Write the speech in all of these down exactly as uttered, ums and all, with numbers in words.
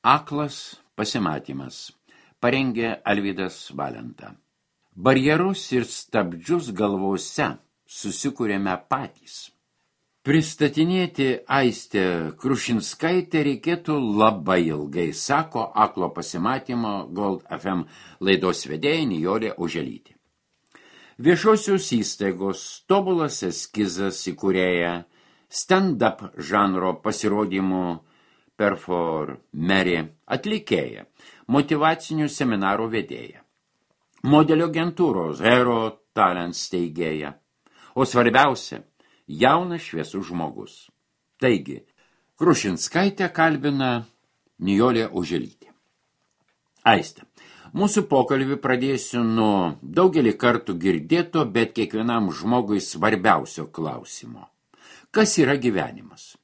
Aklas pasimatymas. Parengė Alvydas Valenta. Barjerus ir stabdžius galvose susikūrėme patys. Pristatinėti Aistę Krušinskaitę reikėtų labai ilgai, sako Aklo pasimatymo Gold F M laidos vedėja Nijolė Oželytė. Viešosios įstaigos tobulas eskizas įkūrėja, stand-up žanro pasirodymų performerė, atlikėja, motyvacinių seminarų vedėja, modelio agentūros Hero Talent steigėja, o svarbiausia, jaunas šviesus žmogus. Taigi, Krušinskaitę kalbina Nijolė Oželytė. Aiste, mūsų pokalbį pradėsiu nuo daugelį kartų girdėto, bet kiekvienam žmogui svarbiausio klausimo. Kas yra gyvenimas?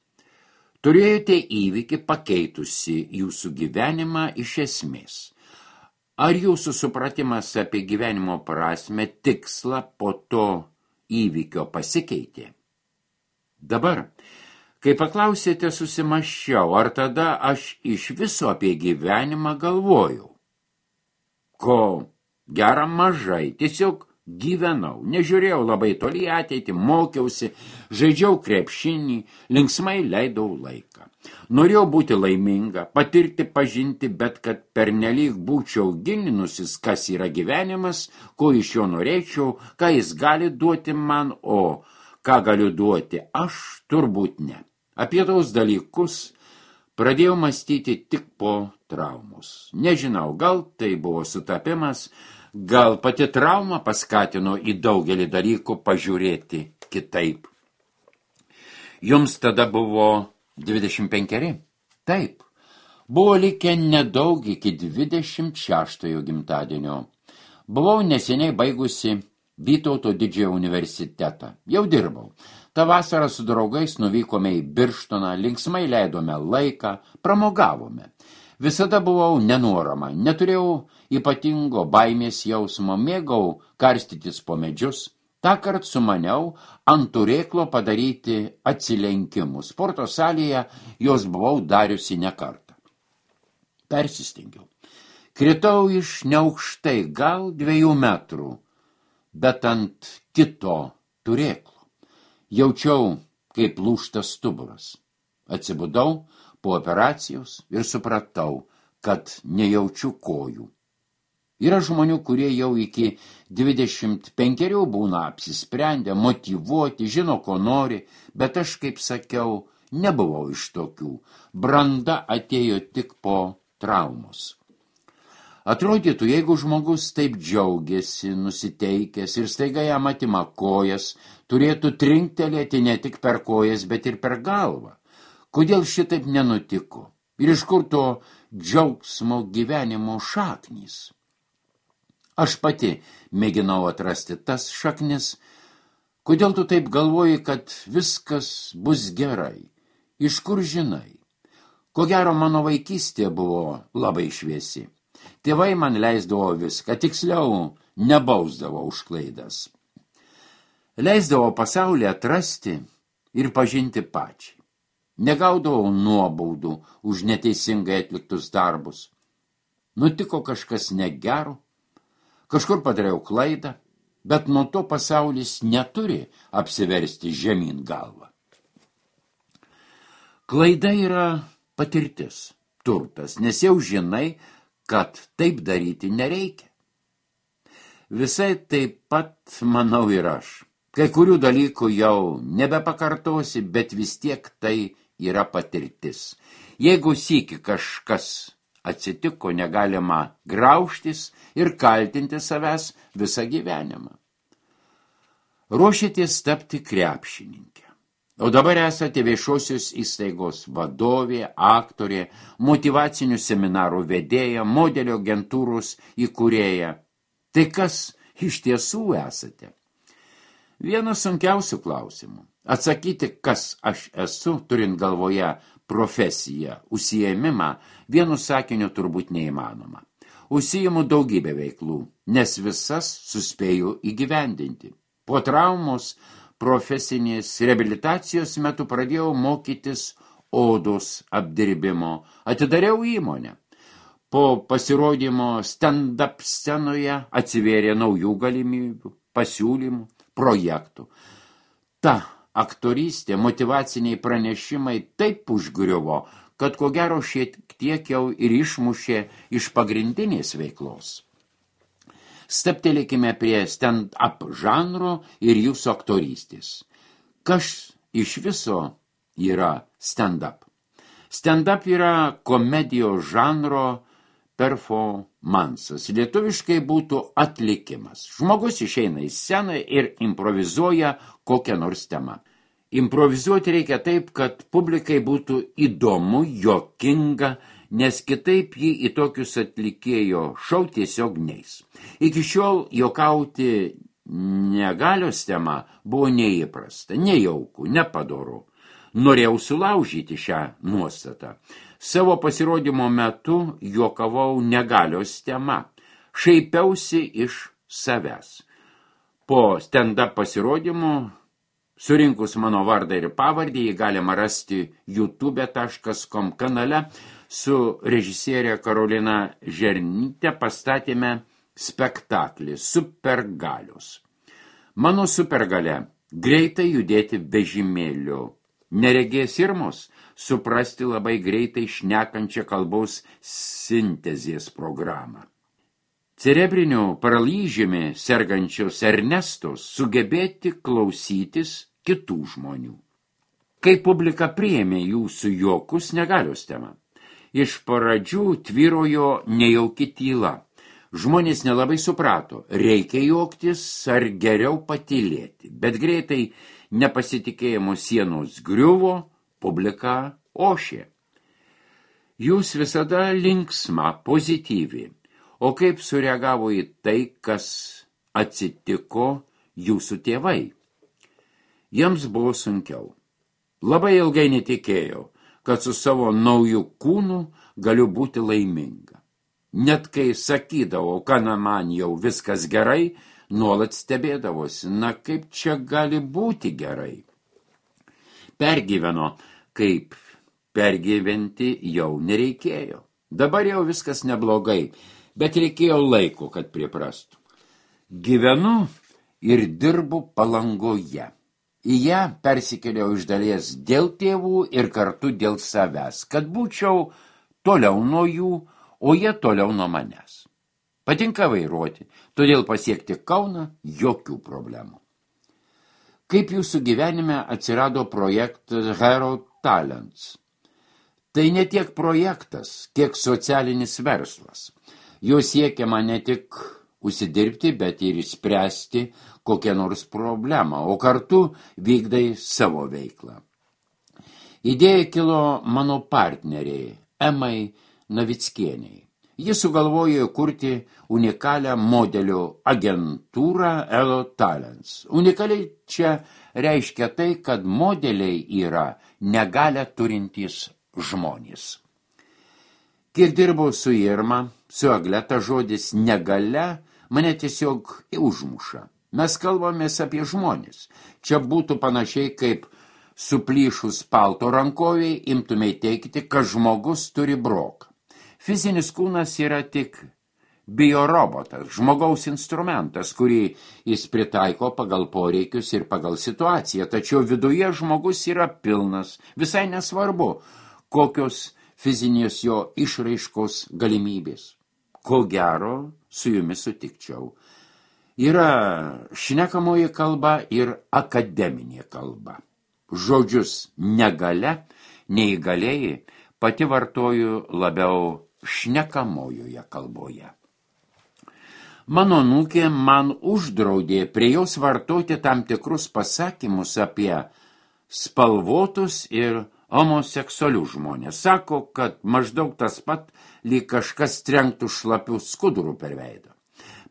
Turėjote įvykį pakeitusi jūsų gyvenimą iš esmės. Ar jūsų supratimas apie gyvenimo prasmę, tikslą po to įvykio pasikeitė? Dabar, kai paklausėte, susimąsčiau, ar tada aš iš viso apie gyvenimą galvojau. Ko gera mažai, tiesiog gyvenau, nežiūrėjau labai toli ateitį, mokiausi, žaidžiau krepšinį, linksmai leidau laiką. Norėjau būti laiminga, patirti, pažinti, bet kad pernelyg būčiau gilinusis, kas yra gyvenimas, ko iš jo norėčiau, ką jis gali duoti man, o ką galiu duoti, aš turbūt ne. Apie tos dalykus pradėjau mąstyti tik po traumos. Nežinau, gal tai buvo sutapimas, gal pati trauma paskatino į daugelį dalykų pažiūrėti kitaip. Jums tada buvo dvidešimt penkeri? Taip. Buvo likę nedaug iki dvidešimt šeštojo gimtadienio. Buvau neseniai baigusi Vytauto didžiojo universitetą. Jau dirbau. Ta vasarą su draugais nuvykome į Birštoną, linksmai leidome laiką, pramogavome. Visada buvau nenuorama, neturėjau ypatingo baimės jausmo, mėgau karstytis po medžius. Tąkart sumaniau ant turėklo padaryti atsilenkimus. Sporto salėje jos buvau dariusi ne kartą. Persistengiau. Kritau iš neaukštai, gal dviejų metrų, bet ant kito turėklo. Jaučiau, kaip lūžta stuburas. Atsibudau po operacijos ir supratau, kad nejaučiu kojų. Yra žmonių, kurie jau iki dvidešimt penkerių būna apsisprendę, motyvuoti, žino, ko nori, bet aš, kaip sakiau, nebuvau iš tokių. Branda atėjo tik po traumos. Atrodytų, jeigu žmogus taip džiaugiasi, nusiteikęs ir staiga jam atima kojas, turėtų trinktelėti ne tik per kojas, bet ir per galvą. Kodėl šitaip nenutiko? Ir iš kur to džiaugsmo gyvenimo šaknys? Aš pati mėginau atrasti tas šaknis. Kodėl tu taip galvoji, kad viskas bus gerai? Iš kur žinai? Ko gero, mano vaikystė buvo labai šviesi. Tėvai man leisdavo viską, tiksliau nebausdavo už klaidas. Leisdavo pasaulį atrasti ir pažinti pačiai. Negaudavau nuobaudų už neteisingai atliktus darbus. Nutiko kažkas negero, kažkur padariau klaidą, bet nuo to pasaulis neturi apsiversti žemyn galvą. Klaida yra patirtis, turtas, nes jau žinai, kad taip daryti nereikia. Visai taip pat, manau, ir aš. Kai kurių dalykų jau nebepakartosi, bet vis tiek tai yra patirtis. Jeigu sykį kažkas atsitiko, negalima graužtis ir kaltinti savęs visą gyvenimą. Ruošitės tapti krepšininkė. O dabar esate viešosios įstaigos vadovė, aktorė, motyvacinių seminarų vedėja, modelio agentūros įkūrėja. Tai kas iš tiesų esate? Vienas sunkiausių klausimų. Atsakyti, kas aš esu, turint galvoje profesiją, užsiėmimą, vienu sakiniu turbūt neįmanoma. Užsiimu daugybę veiklų, nes visas suspėju įgyvendinti. Po traumos profesinės reabilitacijos metu pradėjau mokytis odos apdirbimo, atidariau įmonę. Po pasirodymo stand-up scenoje atsivėrė naujų galimybių, pasiūlymų, projektų. Ta aktorystė, motyvaciniai pranešimai taip užgriuvo, kad ko gero šiek tiek jau ir išmušė iš pagrindinės veiklos. Staptelėkime prie stand-up žanro ir jūsų aktorystės. Kas iš viso yra stand-up? Stand-up yra komedijos žanro performansas. Lietuviškai būtų atlikimas. Žmogus išeina į sceną ir improvizuoja kokią nors temą. Improvizuoti reikia taip, kad publikai būtų įdomu, juokinga, nes kitaip jį į tokius atlikėjo šou tiesiog neis. Iki šiol juokauti negalios tema buvo neįprasta, nejauku, nepadoru. Norėjau sulaužyti šią nuostatą. Savo pasirodymo metu juokavau negalios tema, šaipiausi iš savęs. Po stand-up pasirodymo, surinkus mano vardą ir pavardę, jį galima rasti youtube taškas com kanale, su režisierė Karolina Žernyte pastatėme spektaklį Supergalios. Mano supergalia – greitai judėti vežimėliu. Neregės irmos suprasti labai greitai šnekančią kalbos sintezės programą. Cerebriniu paralyžiumi sergančios Ernestos sugebėti klausytis kitų žmonių. Kai publika priėmė jūsų juokus negalios tema. Iš pradžių tvyrojo nejauki tyla. Žmonės nelabai suprato, reikia juoktis ar geriau patylėti, bet greitai nepasitikėjimo sienos griuvo, publika ošė. Jūs visada linksma, pozityvi, o kaip sureagavo į tai, kas atsitiko jūsų tėvai? Jiems buvo sunkiau. Labai ilgai netikėjau, kad su savo nauju kūnu galiu būti laiminga. Net kai sakydavau, kad man jau viskas gerai, nuolat stebėdavosi, na kaip čia gali būti gerai. Pergyveno, kaip pergyventi jau nereikėjo. Dabar jau viskas neblogai, bet reikėjo laiko, kad priprastų. Gyvenu ir dirbu Palangoje. Į ją persikėliau iš dalies dėl tėvų ir kartu dėl savęs, kad būčiau toliau nuo jų, o jie toliau nuo manęs. Patinka vairuoti, todėl pasiekti Kauną jokių problemų. Kaip jūsų gyvenime atsirado projektas Hero Talents? Tai ne tiek projektas, kiek socialinis verslas. Jo siekiama ne tik užsidirbti, bet ir išspręsti kokią nors problemą, o kartu vykdai savo veiklą. Idėja kilo mano partneriai, Emai Navickieniai. Jis sugalvojo kurti unikalią modelių agentūrą Hero Talents. Unikaliai čia reiškia tai, kad modeliai yra negalią turintys žmonės. Kiek dirbau su Irma, su Agleta, žodis negalia mane tiesiog užmuša. Mes kalbamės apie žmonės. Čia būtų panašiai kaip suplyšus palto rankoviai imtumei teikti, kad žmogus turi broką. Fizinis kūnas yra tik biorobotas, žmogaus instrumentas, kurį jis pritaiko pagal poreikius ir pagal situaciją, tačiau viduje žmogus yra pilnas, visai nesvarbu, kokios fizinės jo išraiškos galimybės. Ko gero, su jumis sutikčiau. Yra šnekamoji kalba ir akademinė kalba. Žodžius negalia, neįgalėjai pati vartoju labiau šnekamojoje kalboje. Mano anūkė man uždraudė prie jos vartoti tam tikrus pasakymus apie spalvotus ir homoseksualius žmonės. Sako, kad maždaug tas pat, lyg kažkas trenktų šlapių skudurų per veidą.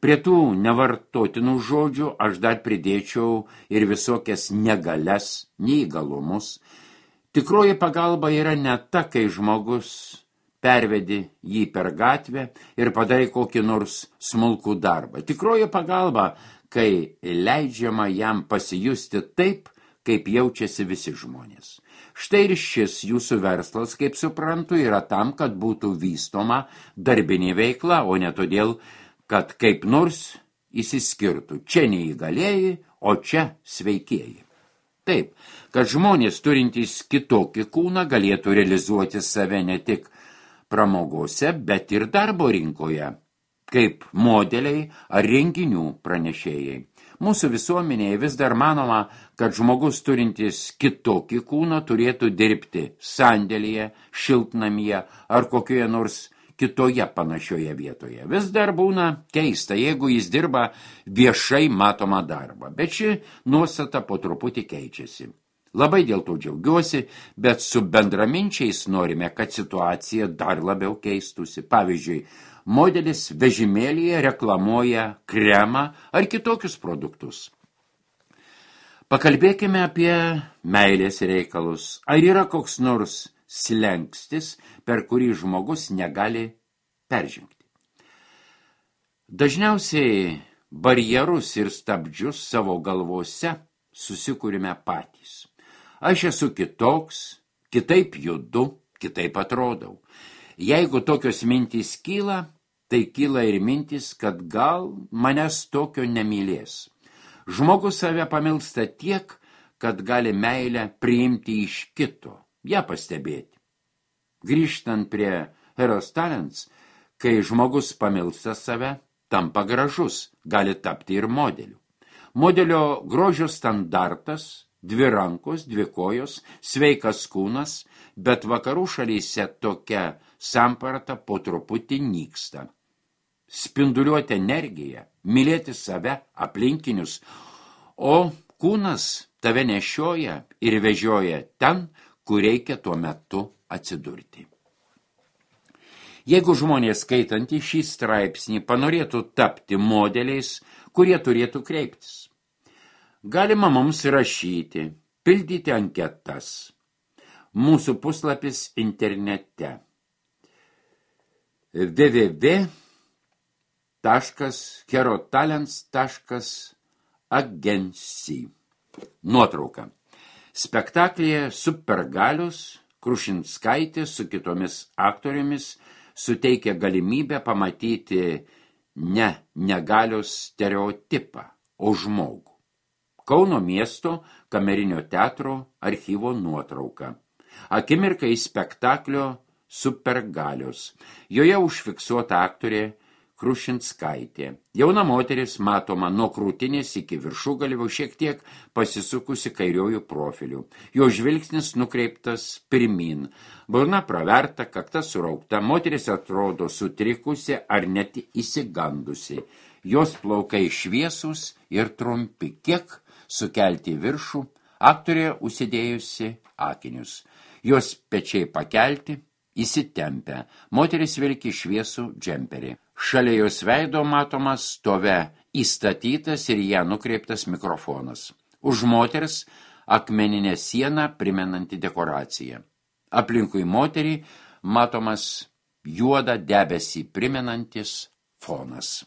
Prie tų nevartotinų žodžių aš dar pridėčiau ir visokias negalias, neįgalumus. Tikroji pagalba yra ne ta, kai žmogus pervedi jį per gatvę ir padarai kokį nors smulkų darbą. Tikroji pagalba, kai leidžiama jam pasijusti taip, kaip jaučiasi visi žmonės. Štai ir šis jūsų verslas, kaip suprantu, yra tam, kad būtų vystoma darbinė veikla, o ne todėl, kad kaip nors įsiskirtų. Čia neįgalėjai, o čia sveikieji. Taip, kad žmonės turintys kitokį kūną galėtų realizuoti save ne tik pramogose, bet ir darbo rinkoje, kaip modeliai ar renginių pranešėjai. Mūsų visuomenėje vis dar manoma, kad žmogus turintis kitokį kūną turėtų dirbti sandėlyje, šiltnamyje ar kokioje nors kitoje panašioje vietoje. Vis dar būna keista, jeigu jis dirba viešai matomą darbą, bet ši nuostata po truputį keičiasi. Labai dėl to džiaugiuosi, bet su bendraminčiais norime, kad situacija dar labiau keistųsi. Pavyzdžiui, modelis vežimėlyje reklamuoja kremą ar kitokius produktus. Pakalbėkime apie meilės reikalus. Ar yra koks nors slenkstis, per kurį žmogus negali peržengti? Dažniausiai barjerus ir stabdžius savo galvose susikūrime patys. Aš esu kitoks, kitaip judu, kitaip atrodau. Jeigu tokios mintys kyla, tai kyla ir mintis, kad gal manęs tokio nemylės. Žmogus save pamilsta tiek, kad gali meilę priimti iš kito, ją pastebėti. Grįžtant prie Heros Talents, kai žmogus pamilsta save, tampa gražus, gali tapti ir modeliu. Modelio grožio standartas – dvi rankos, dvi kojos, sveikas kūnas, bet vakarų šalyse tokia samprata po truputį nyksta. Spinduliuoti energiją, mylėti save, aplinkinius, o kūnas tave nešioja ir vežioja ten, kur reikia tuo metu atsidurti. Jeigu žmonės skaitantį šį straipsnį panorėtų tapti modeliais, kurie turėtų kreiptis, galima mums rašyti, pildyti anketas. Mūsų puslapis internete w w w taškas herotalents taškas agency. Nuotrauka. Spektaklyje Supergalios Krušinskaitė su kitomis aktorėmis suteikia galimybę pamatyti ne negalios stereotipą, o žmogų. Kauno miesto kamerinio teatro archyvo nuotrauka. Akimirkai spektaklio Supergalios. Joje užfiksuota aktorė Krušinskaitė. Jauna moteris matoma nuo krūtinės iki viršugalvio, šiek tiek pasisukusi kairiojų profilių. Jo žvilgsnis nukreiptas pirmin. Burna praverta, kakta suraukta. Moteris atrodo sutrikusi ar net įsigandusi. Jos plaukai šviesus ir trumpi. Kiek sukelti viršų, aktorė užsidėjusi akinius. Jos pečiai pakelti, įsitempę. Moteris vilki šviesų džemperį. Šalia jos veido matomas stove įstatytas ir ją nukreiptas mikrofonas. Už moters akmeninė siena primenanti dekoraciją. Aplinkui moterį matomas juodą debesį primenantis fonas.